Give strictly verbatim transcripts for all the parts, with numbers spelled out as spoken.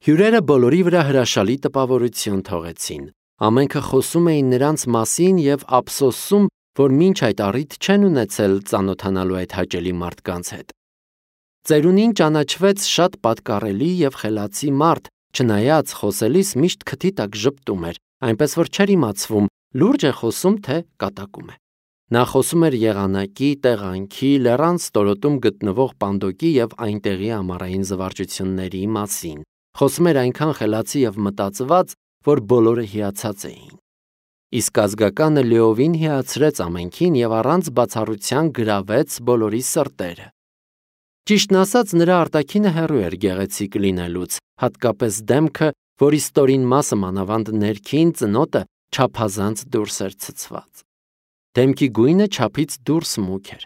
Հյուրերը բոլորի վրա հրաշալի տպավորություն թողեցին։ Ամենքը խոսում էին նրանց մասին և ափսոսում, որ մինչ այդ առիթ չեն ունեցել ծանոթանալու այդ հաճելի մարդկանց հետ։ Ծերունին ճանաչվեց շատ պատկառելի և խելացի մարդ, չնայած խոսելիս միշտ քթի տակ ժպտում էր, այնպես որ չէր իմացվում լուրջ է խոսում, թե կատակում է։ Նա խոսում էր եղանակի, տեղանքի, լեռան ստորոտում գտնվող պանդոկի և այնտեղի ամառային զվարճությունների մասին։ Խոսում էր այնքան խելացի և մտածված, որ բոլորը հիացած էին։ Իսկ ազգականը լիովին հիացրեց ամենքին և առանց բացառության գրավեց բոլորի սրտերը։ Ճիշտն ասած, նրա արտաքինը հեռու էր գեղեցիկ լինելուց, հատկապես դեմքը, որի ստորին մասը, մանավանդ ներքին ծնոտը, չափազանց դուրս էր ցցված։ Դեմքի գույնը չափից դուրս մուգ էր։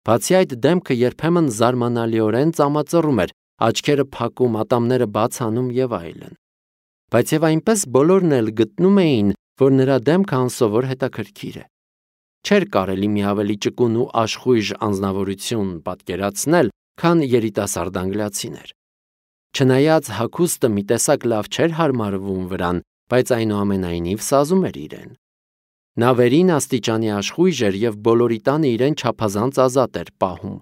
Բացի այդ, դեմքը երբեմն զարմանալիորեն ծամածռում էր, աչքերը փակում, ատամները բաց անում և այլն։ Բայց և այնպես բոլորն էլ գտնում էին, որ նրա դեմքը անսովոր հետաքրքիր է։ Չէր կարելի մի ավելի ճկուն ու աշխույժ անձնավորություն պատկերացնել, քան երիտասարդ անգլիացիներ։ Չնայած հագուստը մի տեսակ լավ չէր հարմարվում վրան, բայց այնուամենայնիվ սազում էր իրեն։ Նա վերին աստիճանի աշխույժ էր և բոլորի տանը իրեն չափազանց ազատ էր պահում։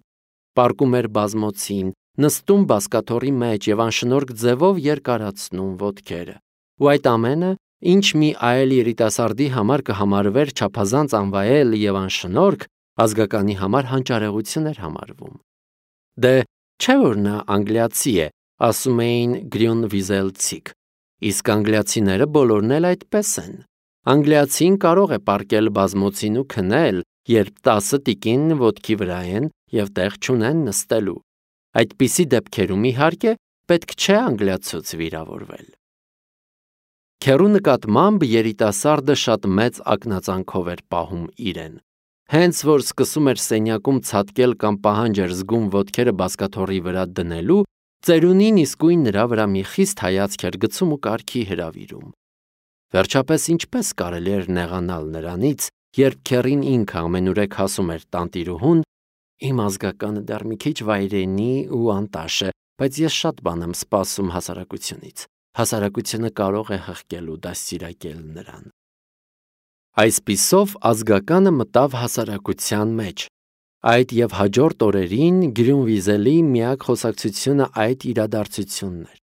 Պառկում էր բազմոցին, նստում բազկաթոռի մեջ և անշնորհք ձևով երկարացնում ոտքերը։ Ու այդ ամենը, ինչ մի այլ երիտասարդի համար կհամարվեր չափազանց անվայել և անշնորհք, ազգականի համար հանճարեղություն էր համարվում։ Դե չէ՞ որ նա անգլիացի է, ասում էին գրյունվիզելցիք, իսկ անգլիացիները բոլորն էլ այդպես են։ Անգլիացին կարող է պառկել բազմոցին ու քնել, երբ տասը տիկին ոտքի վրա են և տեղ չունեն նստելու։ Այդպիսի դեպքերում, իհարկե, պետք չէ անգլիացուց վիրավորվել։ Քեռու նկատմամբ երիտասարդը շատ մեծ ակնածանքով էր պահում իրեն։ Հենց որ սկսում էր սենյակում ցատկել կամ պահանջ էր զգում ոտքերը բազկաթոռի վրա դնելու, ծերունին իսկույն նրա վրա մի խիստ հայացք էր գցում ու կարգի հրավիրում։ Վերջապես, ինչպես կարելի էր նեղանալ նրանից, երբ քեռին ինքը ամենուրեք ասում էր տանտիրուհուն. «Իմ ազգականը դեռ մի քիչ վայրենի ու անտաշ է, բայց ես շատ բան եմ սպասում հասարակությունից։ Հասարակությունը կարող է հղկել ու դաստիարակել նրան»։ Այսպիսով ազգականը մտավ հասարակության մեջ։ Այդ և հաջորդ օրերին Գրյունվիզելի միակ խոսակցությունը այդ իրադարձությունն էր։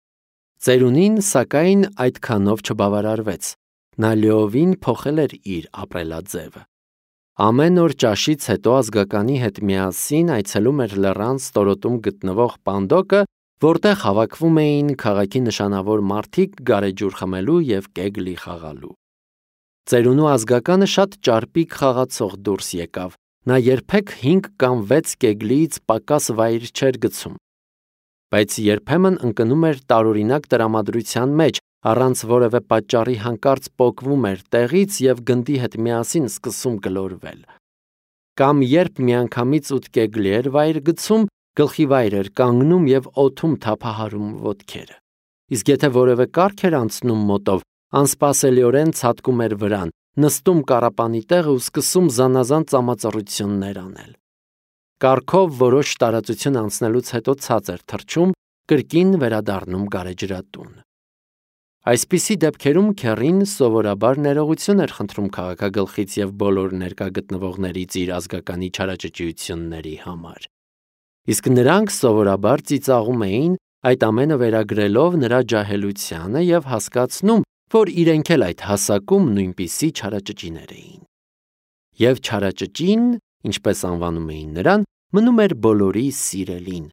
Ծերունին, սակայն, այդքանով չբավարարվեց։ Նա լիովին փոխել էր իր ապրելաձևը։ Ամեն օր ճաշից հետո ազգականի հետ միասին այցելում էր լեռան ստորոտում գտնվող պանդոկը, որտեղ հավաքվում էին քաղաքի նշանավոր մարդիկ գարեջուր խմելու և կեգլի խաղալու։ Ծերունու ազգականը շատ ճարպիկ խաղացող դուրս եկավ։ Նա երբեք հինգ կամ վեց կեգլիից պակաս վայր չէր գցում։ Բայց երբեմն ընկնում էր տարօրինակ տրամադրության մեջ, առանց որևէ պատճառի հանկարծ պոկվում էր տեղից և գնդի հետ միասին սկսում գլորվել։ Կամ երբ միանգամից ութ կեգլի էր վայր գցում, գլխի վայր էր կանգնում և օդում թափահարում ոտքերը։ Իսկ եթե որևէ կառք էր անցնում մոտով, անսպասելիորեն ցատկում էր վրան, նստում կառապանի տեղը ու սկսում զանազան ծամածռություններ անել։ Կառքով որոշ տարածություն անցնելուց հետո ցած էր թռչում, կրկին վերադառնում գարեջրատուն։ Այսպիսի դեպքերում քեռին սովորաբար ներողություն էր խնդրում քաղաքագլխից և բոլոր ներկա գտնվողներից իր ազգականի չարաճճիությունների համար։ Իսկ նրանք սովորաբար ծիծաղում էին, այդ ամենը վերագրելով նրա ջահելությանը և հասկացնում, որ իրենք էլ այդ հասակում նույնպիսի չարաճճիներ էին։ Եվ չարաճճին, ինչպես անվանում էին նրան, մնում էր բոլորի սիրելին։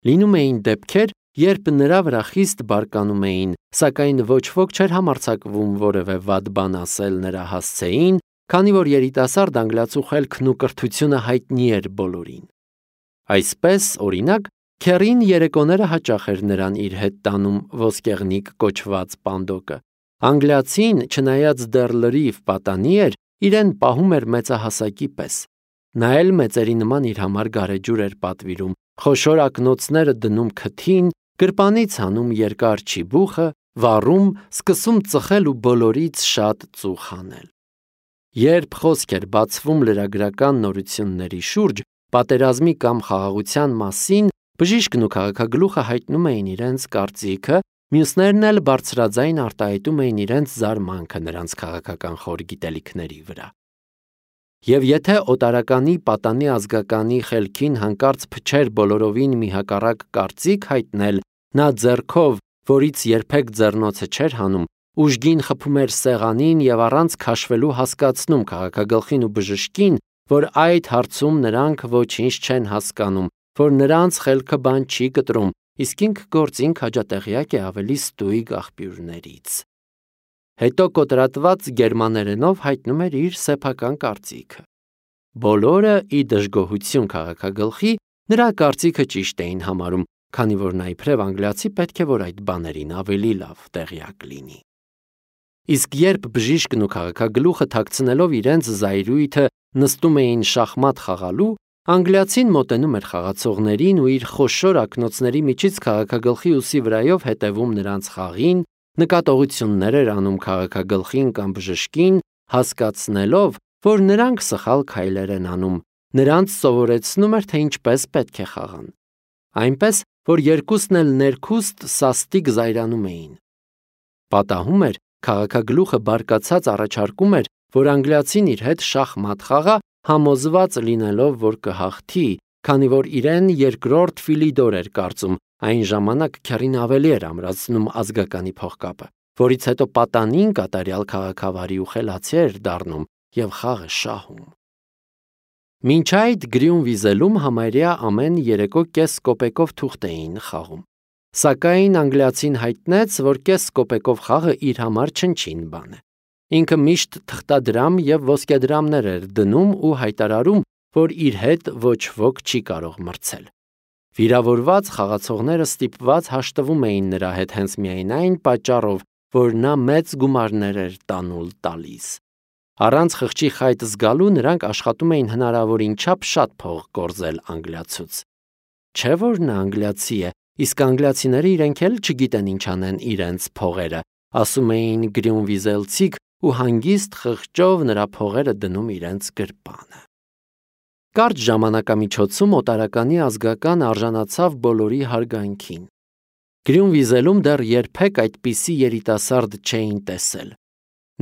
Լինում էին դեպքեր, երբ նրա վրա խիստ բարկանում էին, սակայն ոչ ոք չէր համարձակվում որևէ վատ բան ասել նրա հասցեին, քանի որ երիտասարդ անգլիացու խելքն ու կրթությունը հայտնի էր բոլորին։ Այսպես, օրինակ, քեռին երեկոները հաճախ էր նրան իր հետ տանում ոսկեղնիկ կոչված պանդոկը։ Անգլիացին, չնայած դեռ լրիվ պատանի էր, իրեն պահում էր մեծահասակի պես։ Նա էլ մեծերի նման իր համար գարեջուր էր պատվիրում, խոշոր ակնոցները դնում քթին, գրպանից հանում երկար չիբուխը, վառում, սկսում ծխել ու բոլորից շատ ծուխ անել։ Երբ խոսք էր բացվում լրագրական նորությունների շուրջ, պատերազմի կամ խաղաղության մասին, բժիշկն ու քաղաքագլուխը հայտնում էին իրենց կարծիքը Մյուսներն էլ բարձրաձայն արտահայտում էին իրենց զարմանքը նրանց քաղաքական խոր գիտելիքների վրա։ Եվ եթե օտարականի պատանի ազգականի խելքին հանկարծ փչեր բոլորովին մի հակառակ կարծիք հայտնել, նա ձեռքով, որից երբեք ձեռնոցը չէր հանում, ուժգին խփում էր սեղանին եւ առանց քաշվելու հասկացնում քաղաքագլխին ու բժշկին, որ այդ հարցում նրանք ոչինչ չեն հասկանում, որ նրանց խելքը բան չի կտրում, իսկ ինք գործին քաջատեղյակ է ավելի ստույգ աղբյուրներից։ Հետո կոտրատված գերմաներենով հայտնում էր իր սեփական կարծիքը։ Բոլորը ի դժգոհություն քաղաքագլխի նրա կարծիքը ճիշտ էին համարում, քանի որ նա իբրև անգլիացի պետք է որ այդ բաներին ավելի լավ տեղյակ լինի։ Իսկ երբ բժիշկն ու քաղաքագլուխը թաքցնելով իրենց զայրույթը նստում էին շախմատ խաղալու, անգլիացին մոտենում էր խաղացողներին ու իր խոշոր ակնոցների միջից քաղաքագլխի ուսի վրայով հետևում նրանց խաղին, նկատողություններ էր անում քաղաքագլխին կամ բժշկին, հասկացնելով, որ նրանք սխալ քայլեր են անում, նրանց սովորեցնում էր, թե ինչպես պետք է խաղան։ Այնպես, որ երկուսն էլ ներքուստ սաստիկ զայրանում էին։ Պատահում էր, քաղաքագլուխը բարկացած առաջարկում էր, որ անգլիացին իր հետ շախմատ խաղա, համոզված լինելով, որ կհաղթի, քանի որ իրեն երկրորդ Ֆիլիդոր էր կարծում, այն ժամանակ քեռին ավելի էր ամրացնում ազգականի փողկապը, որից հետո պատանին կատարյալ քաղաքավարի ու խելացի էր դառնում եւ խաղը շահում։ Մինչ այդ Գրյունվիզելում համարյա ամեն երեկո կես կոպեկով թուղթ էին խաղում։ Սակայն անգլիացին հայտնեց, որ կես կոպեկով խաղը իր համար չնչին բան է։ Ինքը միշտ թղթադրամ եւ ոսկեդրամներ էր դնում ու հայտարարում, որ իր հետ ոչ ոք չի կարող մրցել։ Վիրավորված խաղացողները ստիպված հաշտվում էին նրա հետ հենց միայն այն պատճառով, որ նա մեծ գումարներ էր տանուլ տալիս։ Առանց խղճի խայտ զգալու նրանք աշխատում էին հնարավորին չափ շատ փող կորզել անգլիացուց։ Չէ՞ որ նա անգլիացի է, իսկ անգլիացիները իրենք էլ չգիտեն ինչ անեն իրենց փողերը, ասում էին գրյունվիզելցիք ու հանգիստ խղճով նրա փողերը դնում իրենց գրպանը։ Կարճ ժամանակամիջոցում օտարականի ազգական արժանացավ բոլորի հարգանքին։ Գրյունվիզելում դեռ երբեք այդպիսի երիտասարդ չէին տեսել։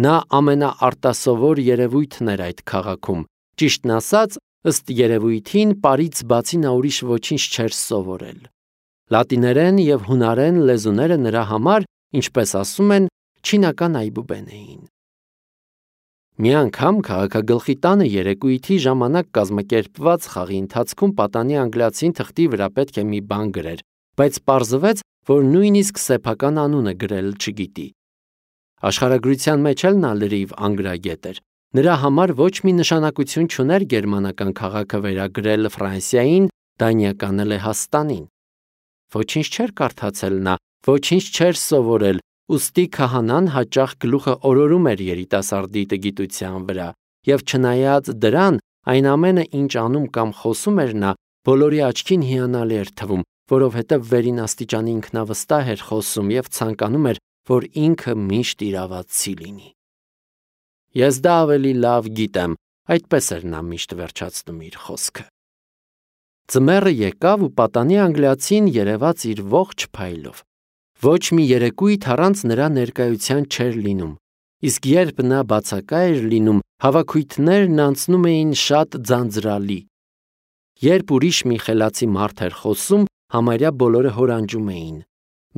Նա ամենաարտասովոր երևույթն էր այդ քաղաքում, ճիշտն ասած, ըստ երևույթին պարից բացի նա ուրիշ ոչինչ չէր սովորել։ Լատիներեն եւ հունարեն լեզուները նրա համար, ինչպես ասում են, չինական այբուբեն էին։ Մի անգամ քաղաքագլխի տանը երեկույթի ժամանակ կազմակերպված խաղի ընթացքում պատանի անգլիացին թղթի վրա պետք է մի բան գրեր, բայց պարզվեց, որ նույնիսկ սեփական անունը գրել չգիտի։ Աշխարհագրության մեջ էլ նա լրիվ անգրագետ էր։ Նրա համար ոչ մի նշանակություն չուներ գերմանական քաղաքը վերագրել Ֆրանսիային, դանիականը Լեհաստանին։ Ոչինչ չէր կարդացել նա, ոչինչ չէր սովորել, ուստի քահանան հաճախ գլուխը օրորում էր երիտասարդի տգիտության վրա, եւ չնայած դրան, այն ամենը, ինչ անում կամ խոսում էր նա, բոլորի աչքին հիանալի էր թվում, որովհետև վերին աստիճանի ինքնավստահ էր խոսում եւ ցանկանում էր, որ ինքը միշտ իրավացի լինի։ Ես դա ավելի լավ գիտեմ, այդպես էր նա միշտ վերջացնում իր խոսքը։ Ձմեռը եկավ ու պատանի անգլիացին երևաց իր ողջ փայլով։ Ոչ մի երեկույթ առանց նրա ներկայության չէր լինում, իսկ երբ նա բացակա էր լինում, հավաքույթներն անցնում էին շատ ձանձրալի։ Երբ ուրիշ մի խելացի մարդ էր խոսում, համարյա բոլորը հորանջում էին։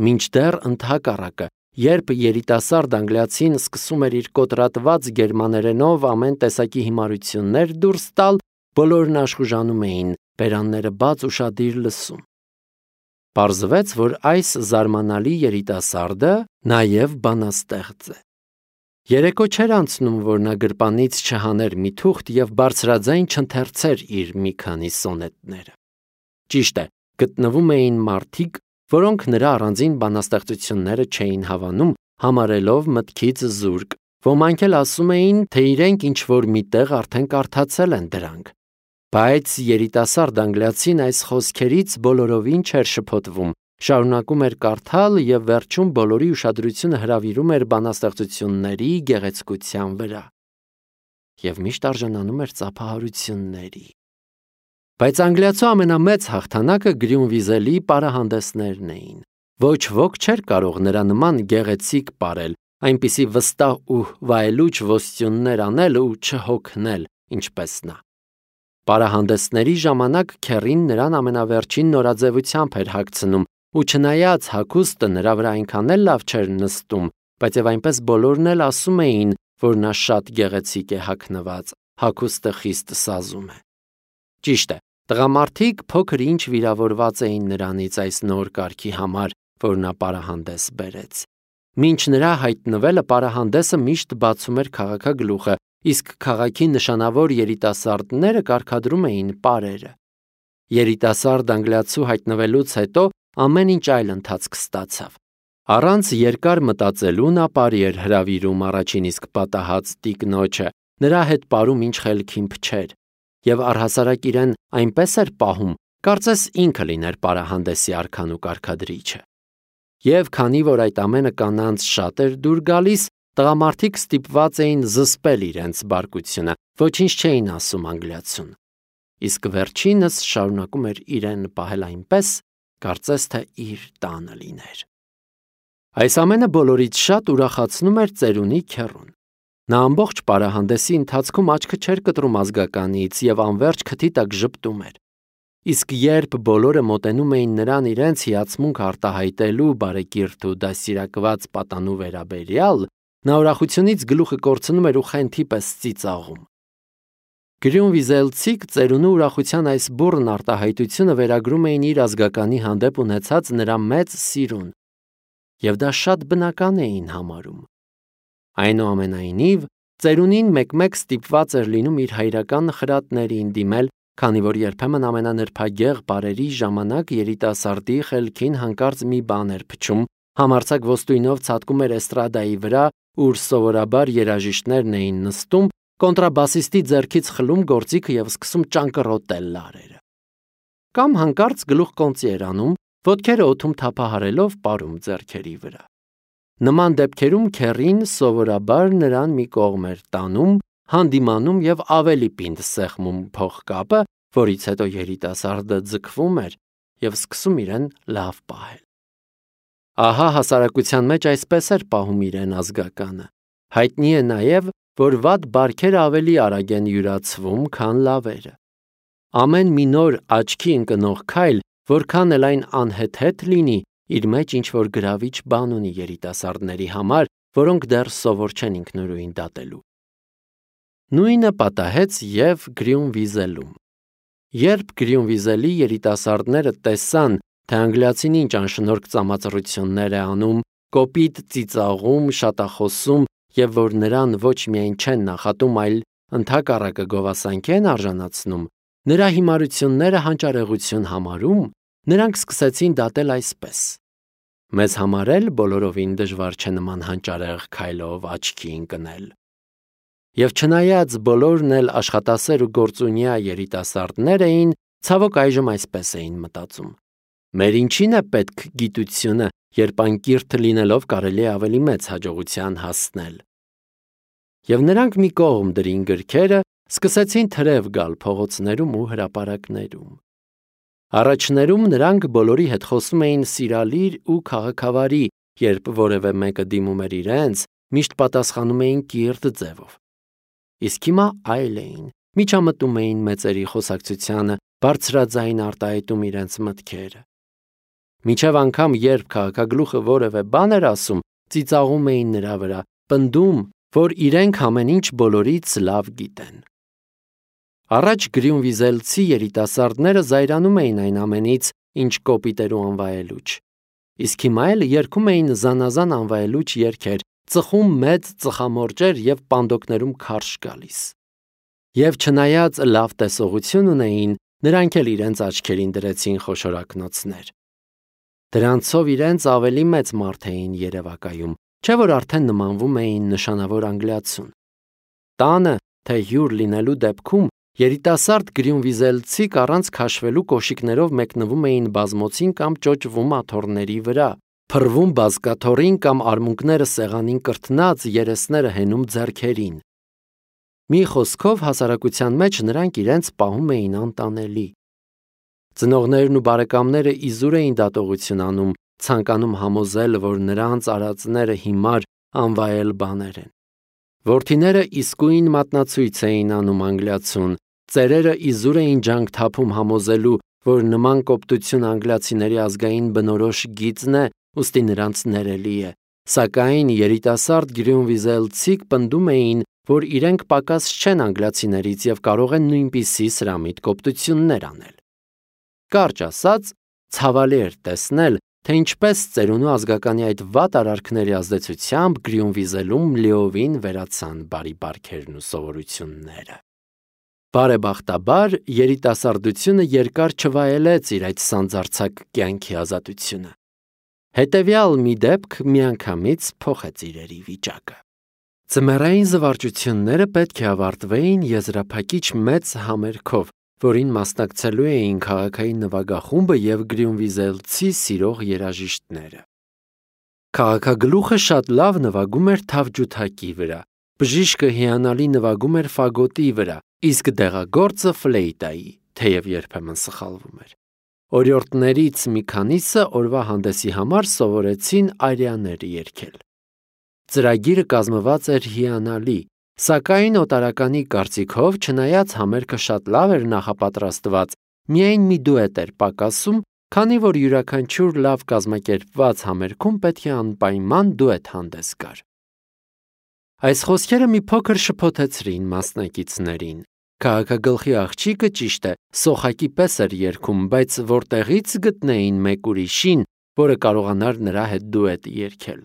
Մինչդեռ ընդհակառակը, երբ երիտասարդ անգլիացին սկսում էր իր կոտրատված գերմաներենով ամեն տեսակի հիմարություններ դուրս տալ, բոլորն աշխուժանում էին, բերանները բաց ուշադիր լսում։ Պարզվեց, որ այս զարմանալի երիտասարդը նաև բանաստեղծ է։ Երեկո չէր անցնում, որ նա գրպանից չհաներ մի թուղթ եւ բարձրաձայն չընթերցեր իր մի քանի սոնետները։ Ճիշտ է, գտնվում էին մարդիկ, որոնք նրա առանձին բանաստեղծությունները չէին հավանում, համարելով մտքից զուրկ, ոմանք էլ ասում էին, թե իրենք ինչ-որ միտեղ արդեն կարդացել են դրանք։ Բայց երիտասարդ անգլիացին այս խոսքերից բոլորովին չէր շփոթվում, շարունակում էր կարդալ եւ վերջում բոլորի ուշադրությունը հրավիրում էր բանաստեղծությունների գեղեցկության վրա։ Եվ միշտ արժանանում էր ծափահարությունների։ Բայց անգլիացու ամենամեծ հաղթանակը Գրյունվիզելի պարահանդեսներն էին, Ոչ ոք չէր կարող նրա նման գեղեցիկ ապրել, այնպիսի վստահ ու վայելուչ ոստյուններ անել ու չհոգնել, ինչպես նա։ Պարահանդեսների ժամանակ քեռին նրան ամենավերջին նորաձևությամբ էր հագցնում, ու չնայած հագուստը նրա վրա այնքան էլ լավ չէր նստում, բայց եւ այնպես բոլորն էլ ասում էին, որ նա շատ գեղեցիկ է հագնված, հագուստը խիստ սազում է։ Ճիշտ է, տղամարդիկ փոքր ինչ վիրավորված էին նրանից այս նոր կարգի համար, որ նա պարահանդես բերեց։ Մինչ նրա հայտնվելը պարահանդեսը միշտ բացում էր քաղաքագլուխը, իսկ քաղաքի նշանավոր երիտասարդները կարգադրում էին պարերը։ Երիտասարդ անգլիացու հայտնվելուց հետո ամեն ինչ այլ ընթացք ստացավ։ Առանց երկար մտածելու նա պարի էր հրավիրում առաջին իսկ պատահած տիկնոջը, նրա հետ պարում ինչ խելքին փչեր, եւ առհասարակ իրեն այնպես էր պահում, կարծես ինքը լիներ պարահանդեսի արքան ու կարգադրիչը։ Եվ քանի որ այդ ամենը կանանց շատ էր դուր գալիս, տղամարդիկ ստիպված էին զսպել իրենց բարկությունը, ոչինչ չէին ասում անգլիացուն։ Իսկ վերջինս շարունակում էր իրեն պահել այնպես, կարծես թե իր տանը լիներ։ Այս ամենը բոլորից շատ ուրախացնում էր ծերունի քեռուն։ Նա ամբողջ պարահանդեսի ընթացքում աչքը չէր կտրում ազգականից եւ անverջ քթի տակ ժպտում էր։ Իսկ երբ բոլորը մոտենում էին նրան իրենց հիացմունք արտահայտելու բարեկիրթ ու դասիրակված պատանու վերաբերյալ, նա ուրախությունից գլուխը կորցնում էր ու խենթի պես ծիծաղում։ Գրյունվիզելցիք ծերունու ուրախության այս բուռն արտահայտությունը վերագրում էին իր ազգականի հանդեպ ունեցած նրա մեծ սիրուն, եւ դա շատ բնական էին համարում։ Այնուամենայնիվ, ծերունին մեկ-մեկ ստիպված էր լինում իր հայրական խրատներին դիմել, քանի որ երբեմն ամենանրբագեղ բարերի ժամանակ երիտասարդի խելքին հանկարծ մի բան էր փչում, համարձակ ոստույնով ցատկում էր էստրադայի վրա, ուր սովորաբար երաժիշտներն էին նստում, կոնտրաբասիստի ձեռքից խլում գործիքը եւ սկսում ճանկռոտել լարերը։ Կամ հանկարծ գլուխ կոնծի էր անում, ոտքերը օդում թափահարելով պարում ձեռքերի վրա։ Նման դեպքերում քեռին սովորաբար նրան մի կողմ էր տանում, հանդիմանում եւ ավելի պինդ սեղմում փողկապը, որից հետո երիտասարդը ձգվում էր եւ սկսում իրեն լավ պահել։ Ահա հասարակության մեջ այսպես էր պահում իրեն ազգականը։ Հայտնի է նաեւ, որ վատ բարքերը ավելի արագ են յուրացվում, քան լավերը։ Ամեն մի նոր աչքի ընկնող քայլ, որքան էլ այն անհեթեթ լինի, իր մեջ ինչ-որ գրավիչ բան ունի երիտասարդների համար, որոնք դեռ սովոր չեն ինքնուրույն դատելու։ Նույնը պատահեց եւ Գրյունվիզելում։ Երբ Գրյունվիզելի երիտասարդները տեսան, թե անգլիացին ինչ անշնորհք ծամածռություններ է անում, կոպիտ ծիծաղում, շատախոսում եւ որ նրան ոչ միայն չեն նախատում, այլ ընդհակառակը գովասանքի են արժանացնում, նրա հիմարությունները հանճարեղություն համարում, նրանք սկսեցին դատել այսպես. մեզ համար էլ բոլորովին դժվար չէ նման հանճարեղ քայլով աչքի ընկնել։ Եվ չնայած բոլորն էլ աշխատասեր ու գործունյա երիտասարդներ էին, ցավոք այժմ այսպես էին մտածում. մեր ինչին է պետք գիտությունը, երբ անկիրթ լինելով կարելի է ավելի մեծ հաջողության հասնել։ Եվ նրանք մի կողմ դրին գրքերը, սկսեցին թրև գալ փողոցներում ու հրապարակներում։ Առաջներում նրանք բոլորի հետ խոսում էին սիրալիր ու քաղաքավարի, երբ որևէ մեկը դիմում էր իրենց, միշտ պատասխանում էին կիրթ ձևով։ Իսկ հիմա այլ էին, միջամտում էին մեծերի խոսակցությանը, բարձրաձայն արտահայտում իրենց մտքերը։ Մինչև անգամ երբ քաղաքագլուխը որևէ բան էր ասում, ծիծաղում էին նրա վրա, պնդում, որ իրենք ամեն ինչ բոլորից լավ գիտեն։ Առաջ գրյունվիզելցի երիտասարդները զայրանում էին այն ամենից, ինչ կոպիտ էր ու անվայելուչ։ Իսկ հիմա էլ երգում էին զանազան անվայելուչ երգեր, ծխում մեծ ծխամորճեր եւ պանդոկներում քարշ գալիս։ Եվ չնայած լավ տեսողություն ունեին, նրանք էլ իրենց աչքերին դրեցին խոշորակնոցներ։ Դրանցով իրենց ավելի մեծ մարդ էին երևակայում, չէ՞ որ արդեն նմանվում էին նշանավոր անգլիացուն։ Տանը, թե հյուր լինելու դեպքում երիտասարդ գրյունվիզելցիք առանց քաշվելու կոշիկներով մեկնվում էին բազմոցին կամ ճոճվում աթոռների վրա, փռվում բազկաթոռին կամ արմունկները սեղանին կրթնած, երեսները հենում ձեռքերին։ Մի խոսքով հասարակության մեջ նրանք իրենց պահում էին անտանելի։ Ծնողներն ու բարեկամները իզուր էին դատողություն անում, ցանկանում համոզել, որ նրանց արածները հիմար անվայել բաներ են։ Որդիները իսկույն մատնացույց էին անում անգլիացուն, ծերերը իզուր էին ջանք թափում համոզելու, որ նման կոպտություն անգլիացիների ազգային բնորոշ գիծն է, ուստի նրանց ներելի է, սակայն երիտասարդ գրյունվիզելցիք պնդում էին, որ իրենք պակաս չեն անգլիացիներից և կարող են նույնպիսի սրամիտ կոպտություններ անել։ Կարճ ասած, ցավալի էր տեսնել, թե ինչպես ծերունու ազգականի այդ վատ արարքների ազդեցությամբ Գրյունվիզելում լիովին վերացան բարի բարքերն ու սովորությունները։ Բարեբախտաբար, երիտասարդությունը երկար չվայելեց իր այդ սանձարձակ կյանքի ազատությունը։ Հետևյալ մի դեպք միանգամից փոխեց իրերի վիճակը։ Ձմեռային զվարճությունները պետք է ավարտվեին եզրափակիչ մեծ համերգով, որին մասնակցելու էին քաղաքային նվագախումբը և գրյունվիզելցի սիրող երաժիշտները։ Քաղաքագլուխը շատ լավ նվագում էր թավջութակի վրա, բժիշկը հիանալի նվագում էր ֆագոտի վրա, իսկ դեղագործը ֆլեյտայի, թեև երբեմն սխալվում էր։ Օրիորդներից մի քանիսը օրվա հանդեսի համար սովորեցին արիաներ երգել։ Ծրագիրը կազմված էր հիանալի, սակայն օտարականի կարծիքով, չնայած համերգը շատ լավ էր նախապատրաստված, միայն մի դուետ էր պակասում, քանի որ յուրաքանչյուր լավ կազմակերպված համերգում պետք է անպայման դուետ հանդես գար։ Այս խոսքերը մի փոքր շփոթեցրին մասնակիցներին։ Քաղաքագլխի աղջիկը, ճիշտ է, սոխակի պես էր երգում, բայց որտեղից գտնեին մեկ ուրիշին, որը կարողանար նրա հետ դուետ երգել։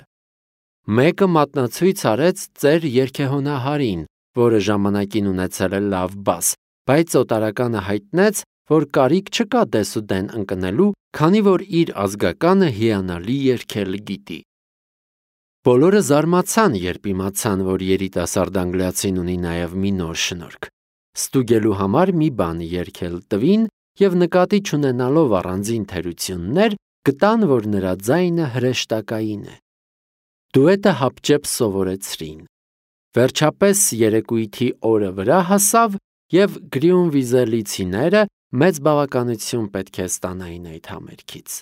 Մեկը մատնացույց արեց ծեր երգեհոնահարին, որը ժամանակին ունեցել է լավ բաս, բայց օտարականը հայտնեց, որ կարիք չկա դեսուդեն ընկնելու, քանի որ իր ազգականը հիանալի երգել գիտի։ Բոլորը զարմացան, երբ իմացան, որ երիտասարդ անգլիացին ունի նաև մի նոր շնորհք։ Ստուգելու համար մի բան երգել տվին և նկատի չունենալով առանձին թերություններ, գտան, որ նրա ձայնը հրեշտակային է։ Դուետը հապճեպ սովորեցրին։ Վերջապես երեկույթի օրը վրա հասավ, և գրյունվիզելիցիները մեծ բավականություն պետք է ստանային այդ համերգից։